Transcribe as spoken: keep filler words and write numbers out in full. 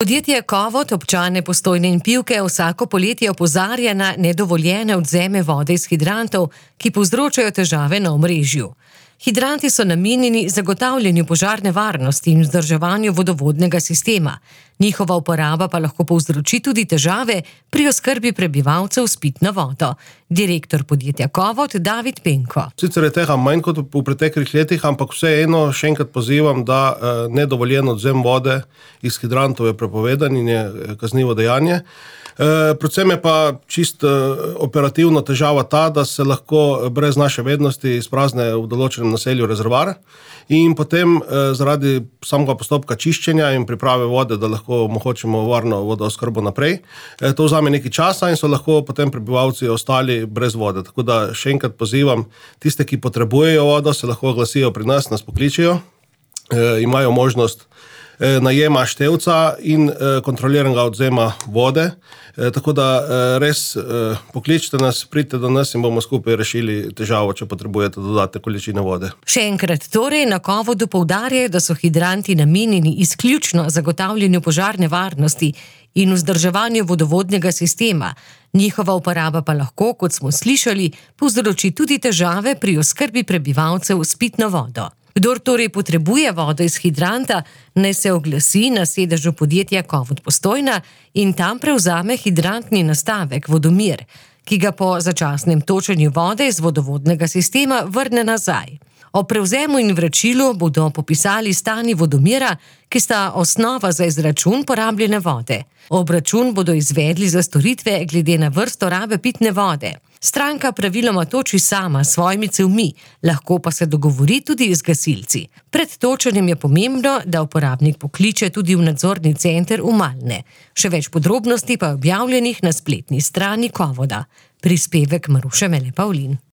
Podjetje Kovot občane Postojne in Pivke vsako poletje opozarja na nedovoljene odvzeme vode iz hidrantov, ki povzročajo težave na omrežju. Hidranti so namenjeni zagotavljanju požarne varnosti in vzdrževanju vodovodnega sistema. Njihova uporaba pa lahko povzroči tudi težave pri oskrbi prebivalcev s pitno vodo. Direktor podjetja Kovot David Penko. Sicer je tega manj kot v preteklih letih, ampak vseeno še enkrat pozivam, da nedovoljen odvzem vode iz hidrantov je prepovedan in je kaznivo dejanje. Predvsem je pa čist operativno težava ta, da se lahko brez naše vednosti izprazne v določenem naselju rezervoar in potem zaradi samega postopka čiščenja in priprave vode, da lahko omogočimo varno vodooskrbo naprej, to vzame nekaj časa in so lahko potem prebivalci ostali brez vode. Tako da še enkrat pozivam tiste, ki potrebujejo vodo, se lahko oglasijo pri nas, nas pokličejo, imajo možnost najema števca in kontroliranega odvzema vode. Tako da res pokličite nas, pridite do nas in bomo skupaj rešili težavo, če potrebujete dodatne količine vode. Še enkrat torej na Kovodu poudarjajo, da so hidranti namenjeni izključno zagotavljanju požarne varnosti in vzdrževanju vodovodnega sistema. Njihova uporaba pa lahko, kot smo slišali, povzroči tudi težave pri oskrbi prebivalcev s pitno vodo. Kdor torej potrebuje vodo iz hidranta, naj se oglasi na sedežu podjetja Kovot Postojna in tam prevzame hidrantni nastavek Vodomir, ki ga po začasnem točenju vode iz vodovodnega sistema vrne nazaj. O prevzemu in vračilu bodo popisali stani Vodomira, ki sta osnova za izračun porabljene vode. Obračun bodo izvedli za storitve glede na vrsto rabe pitne vode. Stranka praviloma toči sama s svojimi cevmi, lahko pa se dogovori tudi z gasilci. Pred točenjem je pomembno, da uporabnik pokliče tudi v nadzorni center v Malne. Še več podrobnosti pa je objavljenih na spletni strani Kovoda. Prispevek Maruše Mele Pavlin.